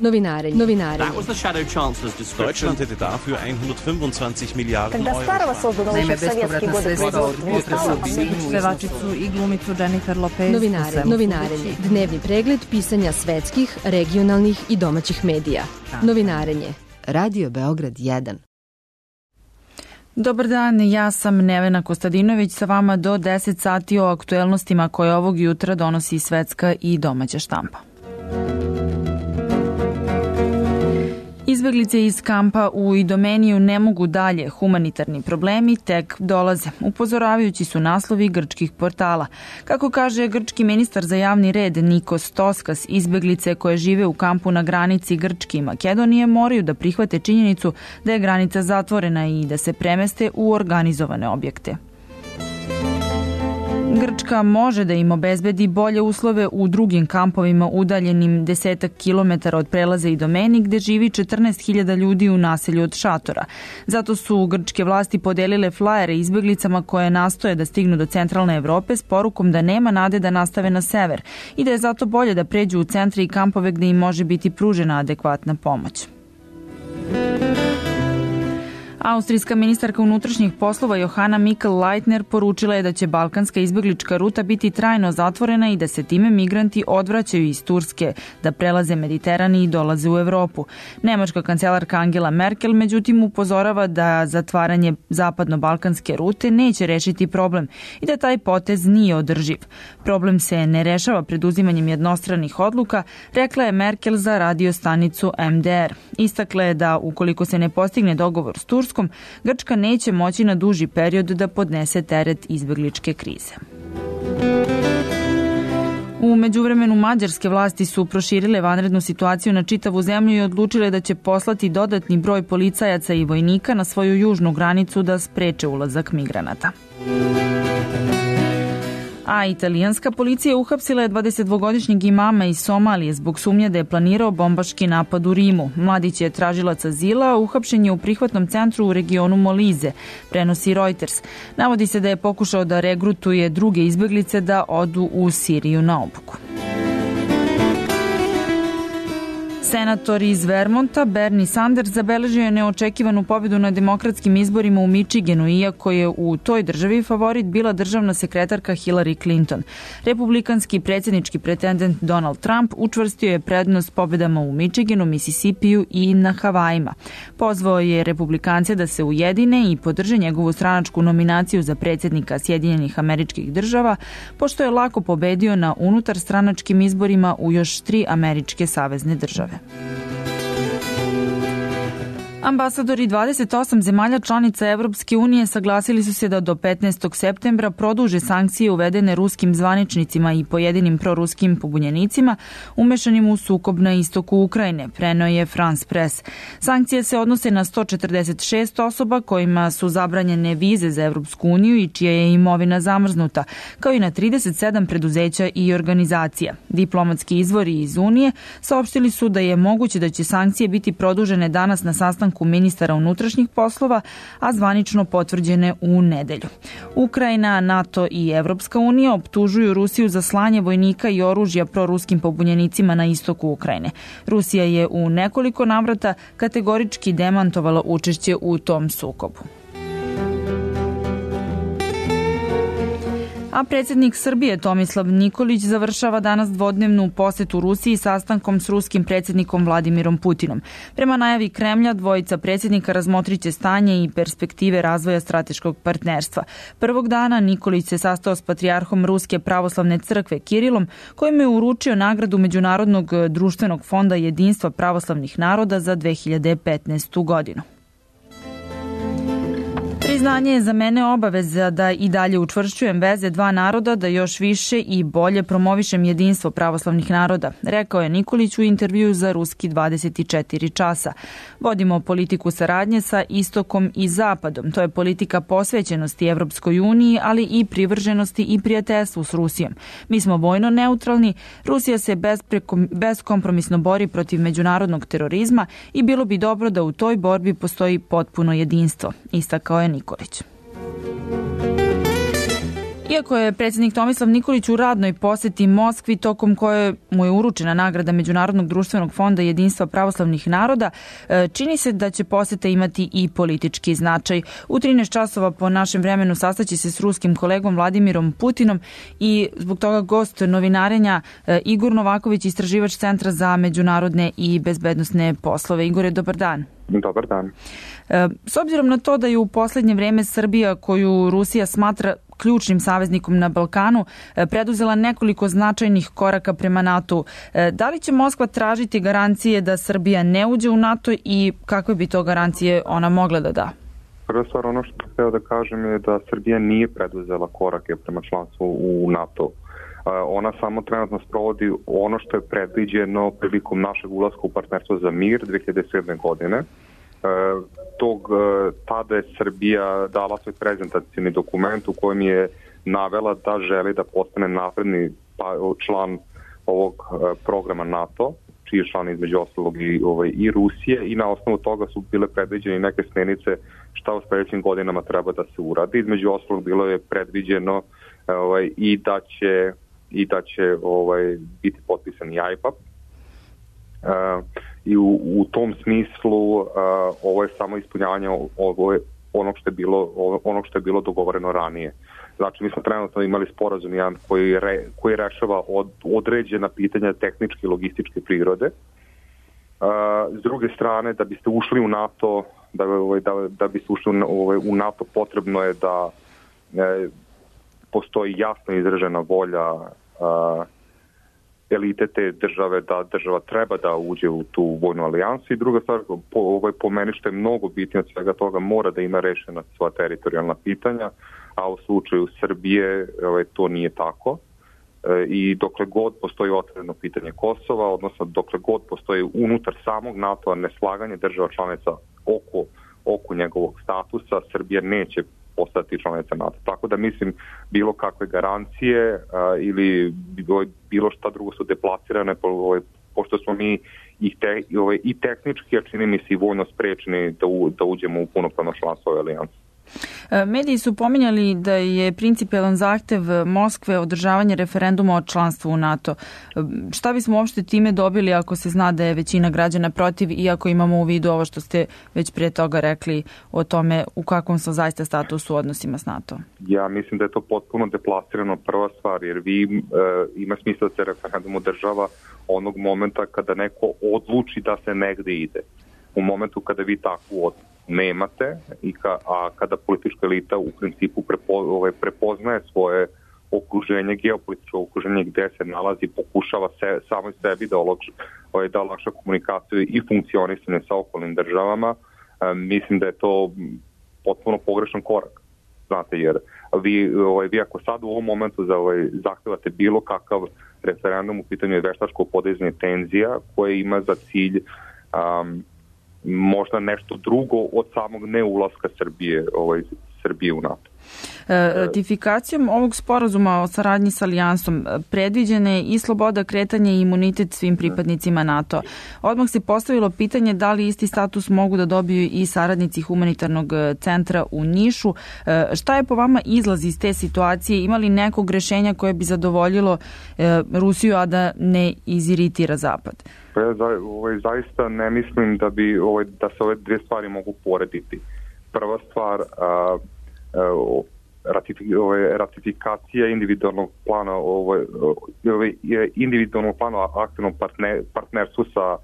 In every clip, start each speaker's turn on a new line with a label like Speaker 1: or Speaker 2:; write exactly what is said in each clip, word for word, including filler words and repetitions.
Speaker 1: Novinarenje. Novinarenje.
Speaker 2: Deutschland hätte dafür hundertfünfundzwanzig Milliarden
Speaker 3: Когда Старого создано еще в советские годы производства.
Speaker 4: Pevačicu i glumicu Jennifer Lopez.
Speaker 1: Novinarenje. Novinarenje. Dnevni pregled pisanja svetskih, regionalnih i domaćih medija. Novinarenje. Radio Beograd jedan.
Speaker 4: Dobar dan, ja sam Nevena Kostadinović sa vama do deset sati o aktuelnostima koje ovog jutra donosi svetska i domaća štampa. Izbeglice iz kampa u Idomeniju ne mogu dalje, humanitarni problemi tek dolaze, upozoravajući su naslovi grčkih portala. Kako kaže grčki ministar za javni red Nikos Toskas, izbeglice koje žive u kampu na granici Grčke i Makedonije moraju da prihvate činjenicu da je granica zatvorena i da se premeste u organizovane objekte. Grčka može da im obezbedi bolje uslove u drugim kampovima udaljenim desetak kilometara od prelaza Idomeni gde živi četrnaest hiljada ljudi u naselju od šatora. Zato su grčke vlasti podelile flajere izbeglicama koje nastoje da stignu do centralne Evrope s porukom da nema nade da nastave na sever i da je zato bolje da pređu u centre i kampove gde im može biti pružena adekvatna pomoć. Austrijska ministarka unutrašnjih poslova Johanna Mikl-Leitner poručila je da će balkanska izbeglička ruta biti trajno zatvorena i da se time migranti odvraćaju iz Turske, da prelaze Mediteran i dolaze u Evropu. Nemačka kancelarka Angela Merkel međutim upozorava da zatvaranje zapadno-balkanske rute neće rešiti problem i da taj potez nije održiv. Problem se ne rešava preduzimanjem jednostranih odluka, rekla je Merkel za radio stanicu M D R. Istakla je da ukoliko se ne postigne dogovor s Turskom, Grčka neće moći na duži period da podnese teret izbegličke krize. U međuvremenu mađarske vlasti su proširile vanrednu situaciju na čitavu zemlju i odlučile da će poslati dodatni broj policajaca i vojnika na svoju južnu granicu da spreče ulazak migranata. A italijanska policija uhapsila je dvadesetdvogodišnjeg imama iz Somalije zbog sumnje da je planirao bombaški napad u Rimu. Mladić je tražilac azila, a uhapšen je u prihvatnom centru u regionu Molize, prenosi Reuters. Navodi se da je pokušao da regrutuje druge izbeglice da odu u Siriju na obuku. Senator iz Vermonta Bernie Sanders zabeležio je neočekivanu pobedu na demokratskim izborima u Michiganu, iako je u toj državi favorit bila državna sekretarka Hillary Clinton. Republikanski predsjednički pretendent Donald Trump učvrstio je prednost pobedama u Michiganu, Mississipiju i na Havajima. Pozvao je republikance da se ujedine i podrže njegovu stranačku nominaciju za predsjednika Sjedinjenih Američkih Država, pošto je lako pobedio na unutar stranačkim izborima u još tri američke savezne države. Ambasadori dvadeset osam zemalja članica Evropske unije saglasili su se da do petnaestog septembra produže sankcije uvedene ruskim zvaničnicima i pojedinim proruskim pobunjenicima umešanim u sukob na istoku Ukrajine, preneo je France Press. Sankcije se odnose na sto četrdeset šest osoba kojima su zabranjene vize za Evropsku uniju i čija je imovina zamrznuta, kao i na trideset sedam preduzeća i organizacija. Diplomatski izvori iz Unije saopštili su da je moguće da će sankcije biti produžene danas na sastanku ministara unutrašnjih poslova, a zvanično potvrđene u nedelju. Ukrajina, NATO i Evropska unija optužuju Rusiju za slanje vojnika i oružja proruskim pobunjenicima na istoku Ukrajine. Rusija je u nekoliko navrata kategorički demantovala učešće u tom sukobu. A predsjednik Srbije Tomislav Nikolić završava danas dvodnevnu posetu Rusiji sastankom s ruskim predsjednikom Vladimirom Putinom. Prema najavi Kremlja, dvojica predsjednika razmotriće stanje i perspektive razvoja strateškog partnerstva. Prvog dana Nikolić se sastao s patrijarhom Ruske pravoslavne crkve Kirilom, kojim je uručio nagradu Međunarodnog društvenog fonda jedinstva pravoslavnih naroda za dve hiljade petnaestu. godinu. Priznanje je za mene obaveza da i dalje učvršćujem veze dva naroda, da još više i bolje promovišem jedinstvo pravoslavnih naroda, rekao je Nikolić u intervjuu za Ruski dvadeset četiri časa. Vodimo politiku saradnje sa istokom i zapadom. To je politika posvećenosti Evropskoj uniji, ali i privrženosti i prijateljstvu s Rusijom. Mi smo vojno neutralni, Rusija se beskompromisno bori protiv međunarodnog terorizma i bilo bi dobro da u toj borbi postoji potpuno jedinstvo, istakao je Nikolić. Iako je predsjednik Tomislav Nikolić u radnoj poseti Moskvi, tokom koje mu je uručena nagrada Međunarodnog društvenog fonda jedinstva pravoslavnih naroda, čini se da će poseta imati i politički značaj. U trinaest časova po našem vremenu sastaće se s ruskim kolegom Vladimirom Putinom i zbog toga gost novinarenja Igor Novaković, istraživač Centra za međunarodne i bezbednosne poslove. Igore, dobar dan.
Speaker 5: Dobar dan.
Speaker 4: S obzirom na to da je u posljednje vreme Srbija, koju Rusija smatra ključnim saveznikom na Balkanu, preduzela nekoliko značajnih koraka prema NATO, da li će Moskva tražiti garancije da Srbija ne uđe u NATO i kakve bi to garancije ona mogla da da?
Speaker 5: Prva stvar, ono što htio da kažem je da Srbija nije preduzela korake prema članstvu u NATO. Ona samo trenutno sprovodi ono što je predviđeno prilikom našeg ulaska u partnerstvo za mir dve hiljade sedme. godine. Tog, tada je Srbija dala svoj prezentacijni dokument u kojem je navela da želi da postane napredni član ovog programa NATO, čiji je član između ostalog i, ovaj, i Rusije, i na osnovu toga su bile predviđene neke smjernice šta u sljedećim godinama treba da se uradi. Između ostalog bilo je predviđeno ovaj, i da će i da će ovaj, biti potpisan i I P A P. Uh, I u, u tom smislu uh, ovo je samo ispunjavanje ovo je onog što je bilo onog što je bilo dogovoreno ranije. Znači mi smo trenutno imali sporazum jedan koji re, koji rešava od, određena pitanja tehničke i logističke prirode. Uh, s druge strane, da biste ušli u NATO, da da da biste ušli u, u NATO, potrebno je da e, postoji jasno izražena volja uh, elite te države da država treba da uđe u tu vojnu alijansu, i druga stvar, po, ovaj, po meni što je mnogo bitnije od svega toga, mora da ima rešena sva teritorijalna pitanja, a u slučaju Srbije ovaj, to nije tako. E, I dokle god postoji otvoreno pitanje Kosova, odnosno dokle god postoji unutar samog NATO-a neslaganje država članica oko, oko njegovog statusa, Srbija neće postati članica NATO. Tako da mislim bilo kakve garancije a, ili bilo šta drugo su deplasirane, po, ovaj, pošto smo mi i, te, i, ovaj, i tehnički, a čini mi se i vojno sprečeni da, u, da uđemo u punopravno članstvo ove alijanse.
Speaker 4: Mediji su pominjali da je principijelan zahtev Moskve održavanje referenduma o članstvu u NATO. Šta bismo uopšte time dobili ako se zna da je većina građana protiv, iako imamo u vidu ovo što ste već prije toga rekli o tome u kakvom su zaista statusu u odnosima s NATO?
Speaker 5: Ja mislim da je to potpuno deplasirano, prva stvar, jer vi e, ima smisla da se referendum održava onog momenta kada neko odluči da se negde ide. U momentu kada vi takvu od nemate, i ka, a kada politička elita u principu prepo, ovaj, prepoznaje svoje okruženje, geopolitičko okruženje gde se nalazi, pokušava se, samo sebi da, olakš, ovaj, da olakša komunikaciju i funkcionisanje sa okolnim državama, e, mislim da je to potpuno pogrešan korak. Znate, jer vi, ovaj, vi ako sad u ovom momentu za, ovaj, zahtevate bilo kakav referendum, u pitanju je veštačko podizanje tenzija koje ima za cilj um, možda nešto drugo od samog neulaska Srbije, ovaj, Srbije u NATO.
Speaker 4: Ratifikacijom ovog sporazuma o saradnji s alijansom predviđena je i sloboda kretanja i imunitet svim pripadnicima NATO. Odmah se postavilo pitanje da li isti status mogu da dobiju i saradnici humanitarnog centra u Nišu. Šta je po vama izlaz iz te situacije? Ima li nekog rešenja koje bi zadovoljilo Rusiju, a da ne iziritira Zapad?
Speaker 5: Pa ja za, ovaj, zaista ne mislim da, bi, ovaj, da se ove dvije stvari mogu porediti. Prva stvar, a, a, Ratifi, ovaj, ratifikacija individualnog plana ovaj, ovaj, individualnog plana aktivnog partner, partnerstvu sa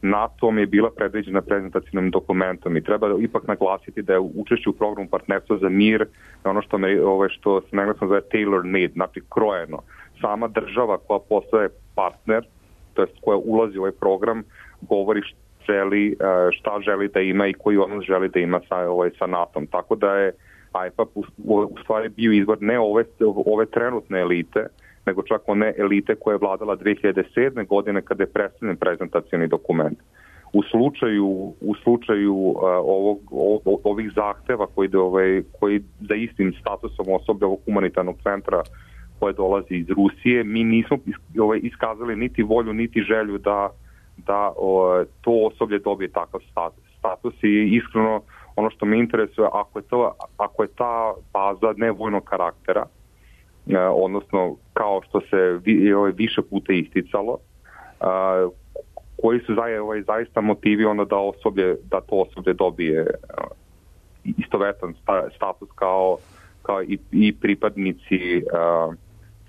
Speaker 5: NATO-om je bila predviđena prezentacijnim dokumentom, i treba ipak naglasiti da je učešće u programu partnerstva za mir ono što, me, ovaj, što se engleskom zove tailor made, znači krojeno. Sama država koja postaje partner, to jest koja ulazi u ovaj program, govori šta želi, šta želi da ima i koji odnos želi da ima sa, ovaj, sa NATO-om. Tako da je I P A P u, u stvari bio izvor ne ove, ove trenutne elite, nego čak one elite koje je vladala dve hiljade sedme. godine kada je predstavljen prezentacijni dokument. U slučaju, u slučaju uh, ovog, ovog, ovih zahteva koji, ovaj, koji za istim statusom osoblja ovog humanitarnog centra koje dolazi iz Rusije, mi nismo ovaj, iskazali niti volju, niti želju da, da o, to osoblje dobije takav status. status i iskreno ono što me interesuje, ako je, to, ako je ta baza nevojnog karaktera, odnosno kao što se više puta isticalo, koji su zaista motivi onda da osoblje, da to osoblje dobije istovetan status kao, kao i, i pripadnici uh,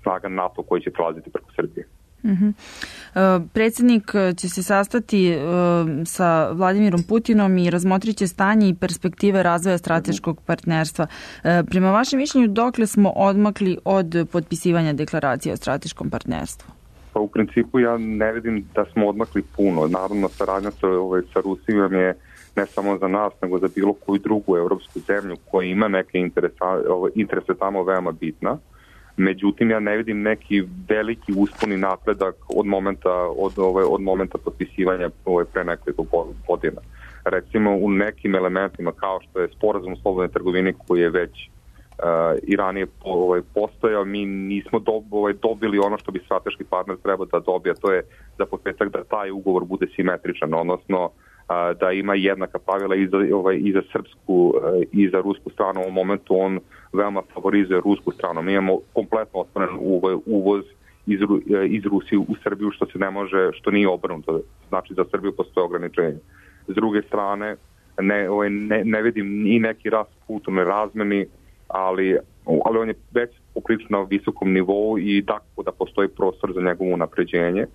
Speaker 5: snaga NATO koji će prelaziti preko Srbije.
Speaker 4: Uh-huh. Uh, predsjednik će se sastati uh, sa Vladimirom Putinom i razmotrit će stanje i perspektive razvoja strateškog partnerstva. Uh, prema vašem mišljenju, dokle smo odmakli od potpisivanja deklaracije o strateškom partnerstvu?
Speaker 5: Pa u principu ja ne vidim da smo odmakli puno. Naravno, saradnja sa, ovaj, sa Rusijom je ne samo za nas, nego za bilo koju drugu evropsku zemlju koja ima neke interesa, ovaj, interese tamo veoma bitna. Međutim, ja ne vidim neki veliki usponi napredak od momenta, od, ovaj, od momenta potpisivanja ovaj, pre nekoliko godina. Recimo, u nekim elementima, kao što je sporazum o slobodnoj trgovini koji je već Uh, i ranije ovaj, postojao, mi nismo dob, ovaj, dobili ono što bi strateški partner trebao da dobije, to je za početak da taj ugovor bude simetričan, odnosno uh, da ima jednaka pravila i za, ovaj, i za srpsku uh, i za rusku stranu. U ovom momentu on veoma favorizuje rusku stranu. Mi imamo kompletno otvoren uvoz iz, iz Rusije u Srbiju, što se ne može, što nije obrnuto. Znači za Srbiju postoje ograničenje. S druge strane, ne, ovaj, ne, ne vidim ni neki rast kulturne razmeni, ali, ali on je već poprilično na visokom nivou i tako da postoji prostor za njegovo unapređenje.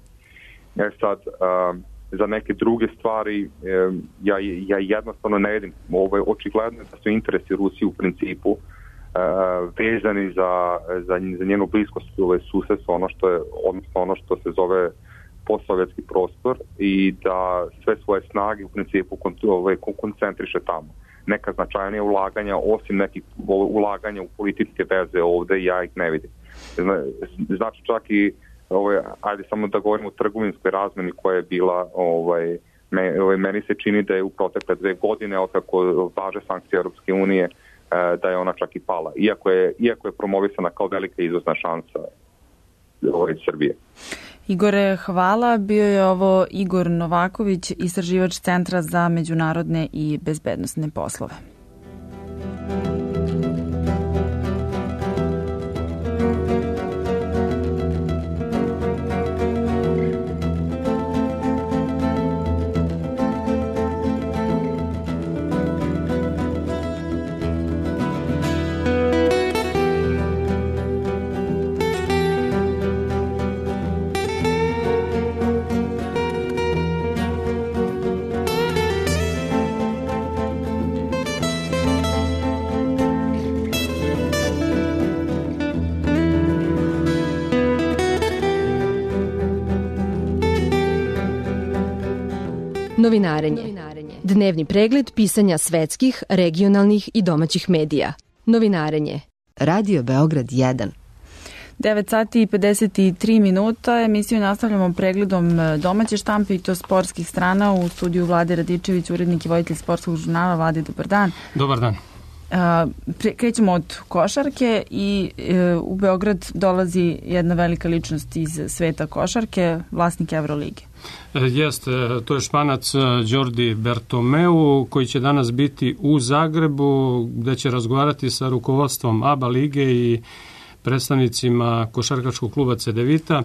Speaker 5: E sad, uh, za neke druge stvari uh, ja, ja jednostavno ne vidim. Ovo je očigledno da su interesi Rusije u principu uh, vezani za, za, za njenu bliskost ovaj, susedstva, ono što je, odnosno ono što se zove postsovjetski prostor, i da sve svoje snage u principu ovaj, koncentriše tamo. Neka značajnija ulaganja, osim nekih ulaganja u političke veze ovde, ja ih ne vidim. Znači čak i, ovaj, ajde samo da govorimo o trgovinskoj razmeni koja je bila, ovaj, me, ovaj, meni se čini da je u protekle dve godine, od kako važe sankcije Europske unije, da je ona čak i pala. Iako je, iako je promovisana kao velika izvozna šansa ovaj, Srbije.
Speaker 4: Igore, hvala. Bio je ovo Igor Novaković, istraživač Centra za međunarodne i bezbednosne poslove.
Speaker 1: Novinarenje. Dnevni pregled pisanja svetskih, regionalnih i domaćih medija. Novinarenje. Radio Beograd jedan.
Speaker 4: devet sati i pedeset tri minuta. Emisiju nastavljamo pregledom domaće štampe i to sportskih strana. U studiju Vlade Radičević, urednik i voditelj sportskog žurnala. Vlade, dobar dan.
Speaker 6: Dobar dan.
Speaker 4: Krećemo od košarke i u Beograd dolazi jedna velika ličnost iz sveta košarke, vlasnik Evrolige.
Speaker 6: Jeste, to je Španac Đordi Bertomeu, koji će danas biti u Zagrebu, gde će razgovarati sa rukovodstvom A B A lige i predstavnicima košarkaškog kluba Cedevita.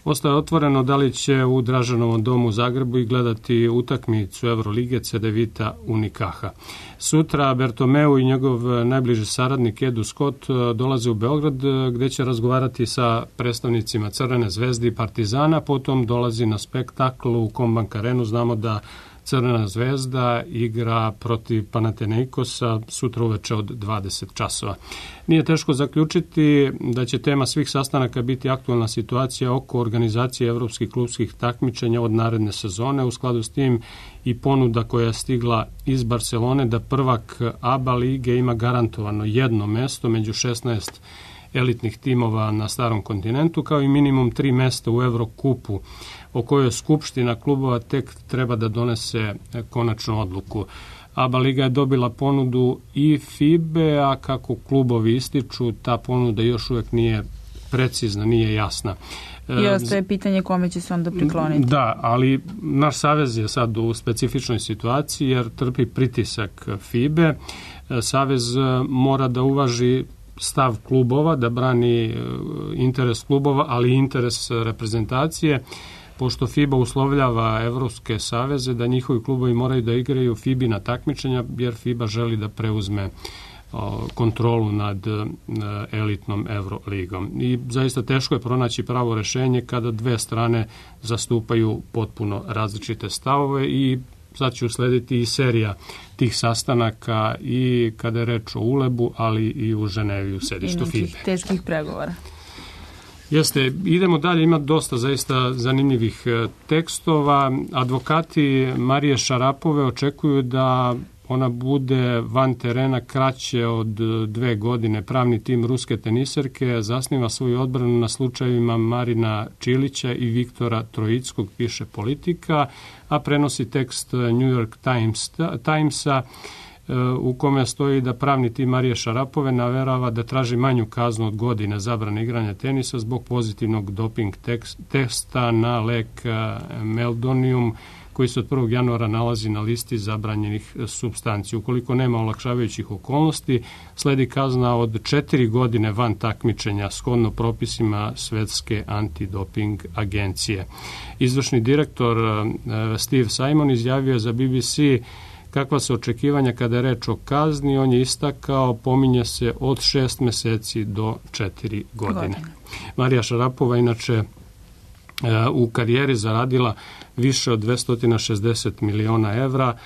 Speaker 6: Ostaje otvoreno da li će u Dražanovom domu u Zagrebu i gledati utakmicu Evrolige Cedevita Unikaha. Sutra Bertomeu i njegov najbliži saradnik Edu Scott dolaze u Beograd, gde će razgovarati sa predstavnicima Crvene zvezde i Partizana. Potom dolazi na spektakl u Kombank Arenu. Znamo da Crvena zvezda igra protiv Panathinaikosa sutra uveče od dvadeset časova. Nije teško zaključiti da će tema svih sastanaka biti aktualna situacija oko organizacije evropskih klubskih takmičenja od naredne sezone. U skladu s tim i ponuda koja je stigla iz Barcelone da prvak A B A lige ima garantovano jedno mesto među šesnaest elitnih timova na starom kontinentu, kao i minimum tri mesta u Evrokupu, o kojoj Skupština klubova tek treba da donese konačnu odluku. A B A liga je dobila ponudu i FIBE, a kako klubovi ističu, ta ponuda još uvijek nije precizna, nije jasna.
Speaker 4: I ostaje pitanje kome će se onda prikloniti.
Speaker 6: Da, ali naš savez je sad u specifičnoj situaciji jer trpi pritisak FIBE. Savez mora da uvaži stav klubova, da brani interes klubova, ali i interes reprezentacije, pošto FIBA uslovljava evropske saveze da njihovi klubovi moraju da igraju FIBA-na takmičenja, jer FIBA želi da preuzme kontrolu nad elitnom Euroligom. I zaista teško je pronaći pravo rešenje kada dve strane zastupaju potpuno različite stavove i sad će uslediti i serija tih sastanaka i kada je reč o Ulebu, ali i u Ženevi u sedištu FIBA.
Speaker 4: I nekih teških pregovora.
Speaker 6: Jeste, idemo dalje, ima dosta zaista zanimljivih tekstova. Advokati Marije Šarapove očekuju da ona bude van terena kraće od dve godine. Pravni tim ruske teniserke zasniva svoju odbranu na slučajevima Marina Čilića i Viktora Trojickog, piše Politika, a prenosi tekst New York Times, Timesa u kome stoji da pravni tim Marije Šarapove naverava da traži manju kaznu od godine zabrane igranja tenisa zbog pozitivnog doping testa na lek Meldonium, koji se od prvog januara nalazi na listi zabranjenih supstanci. Ukoliko nema olakšavajućih okolnosti, sledi kazna od četiri godine van takmičenja shodno propisima Svetske antidoping agencije. Izvršni direktor Steve Simon izjavio za B B C kakva su očekivanja kada je reč o kazni. On je istakao, pominje se od šest meseci do četiri godine. Marija Šarapova inače u karijeri zaradila više od dvesta šezdeset miliona evra.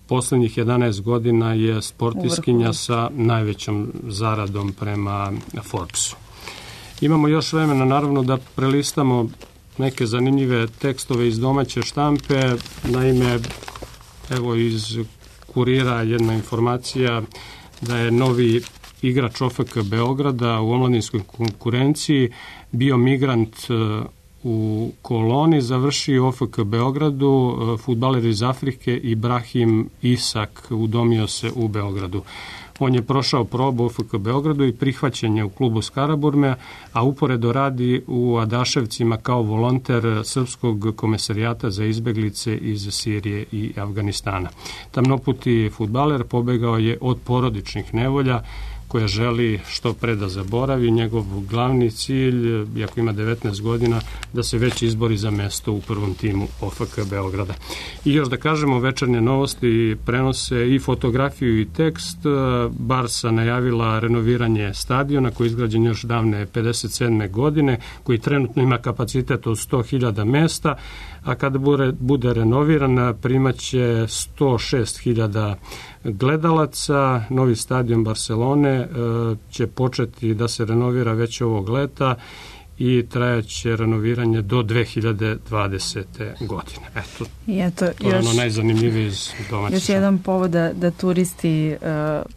Speaker 6: Poslednjih jedanaest godina je sportiskinja sa najvećom zaradom prema Forbesu. Imamo još vremena naravno da prelistamo neke zanimljive tekstove iz domaće štampe. Naime, evo iz Kurira jedna informacija da je novi igrač O F K Beograda u omladinskoj konkurenciji bio migrant u koloni, završio u O F K Beogradu, fudbaler iz Afrike Ibrahim Isak udomio se u Beogradu. On je prošao probu u O F K Beogradu i prihvaćen je u klubu Skaraburme, a uporedo radi u Adaševcima kao volonter Srpskog komesarijata za izbeglice iz Sirije i Afganistana. Tamnoputi fudbaler pobegao je od porodičnih nevolja koja želi što pre da zaboravi. Njegov glavni cilj, iako ima devetnaest godina, da se već izbori za mesto u prvom timu O F K Beograda. I još da kažemo, Večernje novosti prenose i fotografiju i tekst. Barsa najavila renoviranje stadiona koji je izgrađen još davne pedeset sedme godine, koji trenutno ima kapacitet od sto hiljada mesta, a kada bude, bude renoviran primaće sto šest hiljada gledalaca. Novi stadion Barcelone e, će početi da se renovira već ovog leta i trajaće renoviranje do dve hiljade dvadesete godine. Eto,
Speaker 4: I eto
Speaker 6: to je
Speaker 4: još,
Speaker 6: ono najzanimljivije iz domaće.
Speaker 4: Još jedan povod da, da turisti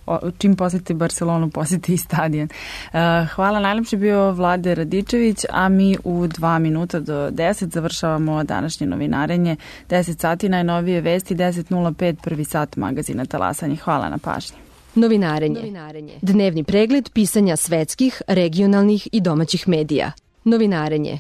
Speaker 4: uh, čim posjeti Barcelonu, posjeti i stadion. Uh, hvala, najlepše bio Vlade Radičević, a mi u dva minuta do deset završavamo današnje novinarenje. deset sati najnovije vesti, deset nula pet prvi sat magazina Talasanje. Hvala na pažnji.
Speaker 1: Novinarenje. Novinarenje. Dnevni pregled pisanja svetskih, regionalnih i domaćih medija. Novinarenje.